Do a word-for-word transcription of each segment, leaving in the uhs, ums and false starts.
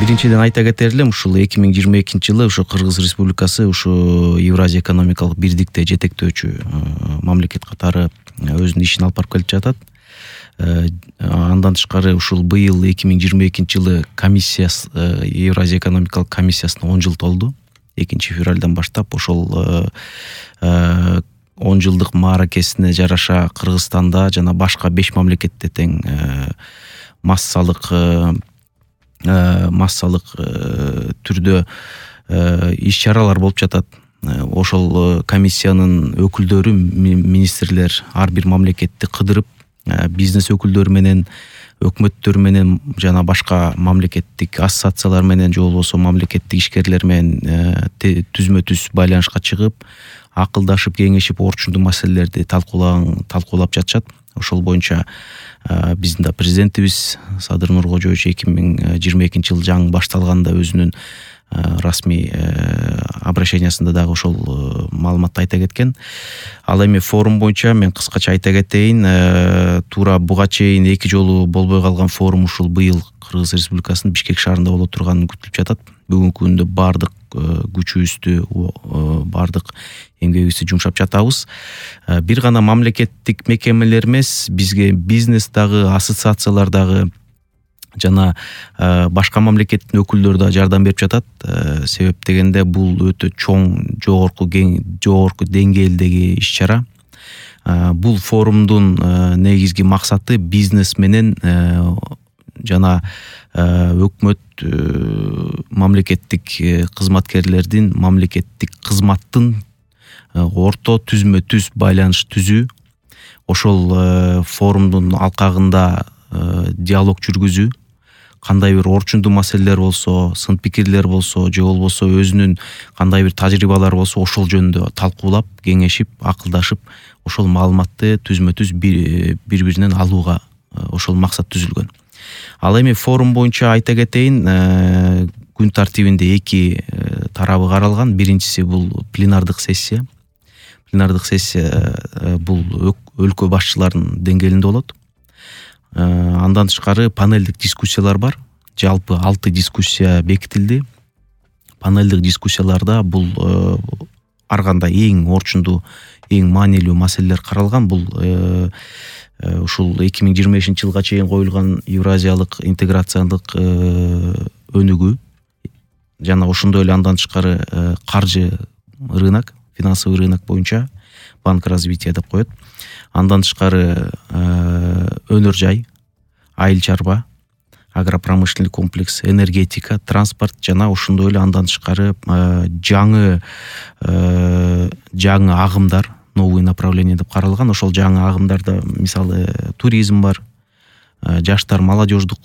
Биринчиден айта кетер элем, ушул эки миң жыйырма экинчи жылы ушу Кыргыз Республикасы ушу Евразия экономикалык бирдикте жетектөөчү мамлекет катары өзүнүн ишин алып барып келип жатат. Андан тышкары ушул быйыл эки миң жыйырма экинчи жылы комиссиясы, Евразия экономикалык комиссиясына он жыл толду. экинчи февралдан баштап ошол он жылдык мааракесине жараша Кыргызстанда жана башка беш мамлекетте тең массалык массалык түрдө иш-чаралар болуп жатат. Ошол комиссиянын өкүлдөрү, министрлер ар бир мамлекетти кыдырып, бизнес өкүлдөрү менен, өкмөттөр менен жана башка мамлекеттик ассоциациялар менен же болбосо мамлекеттик ишкерлер менен түзмө-түз байланышка чыгып, акылдашып, кеңешип, орчундуу маселелерди талкуулаган талкуулап жатышат. Ошол боюнча биздин да президентибиз Садыр Нуркожоевич эки миң жыйырма экинчи жыл жаңы башталганда өзүнүн расмий обращениясында дагы ошол маалыматты айта кеткен. Ал эми форум боюнча мен кыскача айта кетейин. Туура буга чейин эки жолу болбой калган форум ушул быйыл Кыргыз Республикасынын Бишкек шаарында боло турганы күтүлүп жатат. Бүгүнкү күндө бардык күчүбүздү, бардык эмгегибизди жумшап жатабыз. Бир гана мамлекеттик мекемелер эмес, бизге бизнес дагы, ассоциациялар дагы жана башка мамлекеттин өкүлдөрү да жардам берип жатат. Себеп дегенде бул өтө чоң, жогорку жогорку деңгээлдеги иш-чара. Бул форумдун негизги максаты бизнес менен жана өкмөт, мамлекеттик кызматкерлердин, мамлекеттик кызматтын орто түзмө-түз байланыш түзүү. Ошол форумдун алкагында диалог жүргүзүү, кандай бир орчундуу маселелер болсо, сын пикирлер болсо, же болбосо өзүнүн кандай бир тажрыйбалары болсо, ошол жөнүндө талкуулап, кеңешип, акылдашып, ошол маалыматты түзмө-түз бири-биринен алууга ошол максат түзүлгөн. Ал эми форум боюнча айта кетейин, күн тартибинде эки тарабы каралган. Биринчиси бул пленардык сессия. Пленардык сессия бул өлкө башчыларынын деңгээлинде болот. Андан тышкары панелдик дискуссиялар бар. Жалпы алты дискуссия бекитилди. Панелдик дискуссияларда бул ар кандай эң орчундуу, эң маанилүү маселелер каралган. Бул ушул эки миң жыйырма бешинчи жылга чейин коюлган евразиялык интеграциялык өнүгүү жана ошондой эле андан тышкары каржы рынок, финансовый рынок боюнча банк развития деп коет. Андан тышкары өнөр жай, айыл чарба, агропромышленный комплекс, энергетика, транспорт жана ошондой эле андан тышкары жаңы жаңы агымдар, новый направление деп каралган. Ошол жаңы агымдарда мисалы туризм бар, жаштар, молодеждук,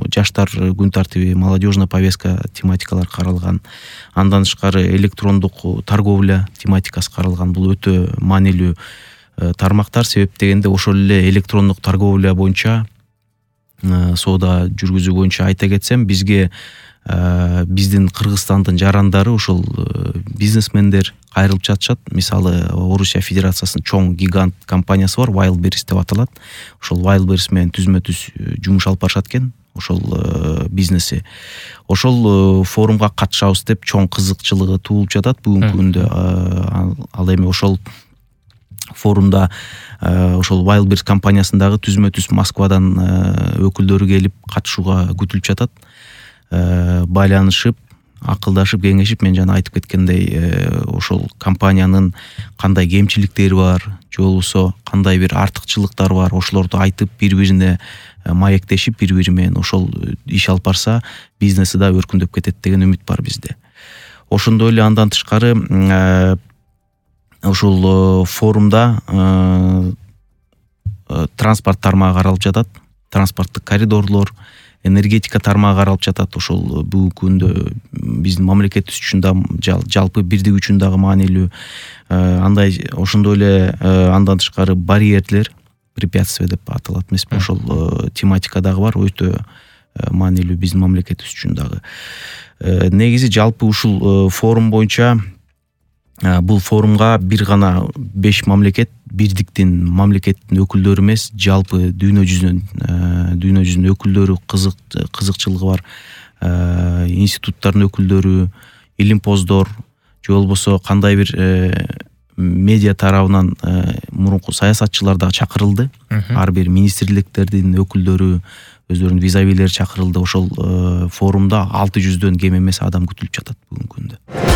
жаштар күн тартиби, молодежная повестка тематикалар каралган. Андан тышкары электрондук торговля тематикасы каралган. Бул өтө маанилүү тармактар. Себеп дегенде ошол эле электрондук торговля боюнча, соода жүргүзүү боюнча айта кетсем, бизге биздин Кыргызстандын жарандары, ушул бизнесмендер кайрылып жатышат. Мисалы Орусия Федерациясынын чоң гигант компаниясы бар, Wildberries деп аталат. Ошол Wildberries менен түзмө-түз жумуш алып барышат экен, ошол бизнеси. Ошол форумга катышабыз деп чоң кызыкчылыгы туулуп жатат бүгүнкү күндө. Ал эми ошол форумда ошол Wildberries компаниясындагы түзмө-түз Москвадан өкүлдөрү келип катышууга күтүлүп жатат. Байланышып, акылдашып, кеңешип, мен жана айтып кеткендей, ошол компаниянын кандай кемчиликтери бар, же болбосо кандай бир артыкчылыктары бар, ошолорду айтып, бири-бирине маектешип, бири-бири менен ошол иш алып барса, бизнеси да өркүндөп кетет деген үмүт бар бизде. Ошондой эле андан тышкары ушул форумда транспорт тармагы каралып жатат, транспорттук коридорлор, энергетика тармагы каралып жатат. Ошол бүгүнкү күндө биздин мамлекетибиз үчүн да, жалпы бирдик үчүн дагы маанилүү. Андай ошондой эле андан тышкары барьерлер, препятствия деп аталат эмеспи, ошол тематика дагы бар, өтө маанилүү биздин мамлекетибиз үчүн дагы. Негизи жалпы ушул форум боюнча, бул форумга бир гана беш мамлекет, бирдиктин мамлекеттин өкүлдөрү эмес, жалпы дүйнө жүзүнөн дүйнө жүзүнүн өкүлдөрү, кызык кызыкчылыгы бар институттардын өкүлдөрү, илимпоздор же болбосо кандай бир медиа тарабынан мурунку саясатчылар дагы чакырылды. Ар бир министрликтердин өкүлдөрү, өздөрүнүн визавилери чакырылды. Ошол форумда алты жүздөн кем эмес адам күтүлүп жатат бүгүнкү күндө.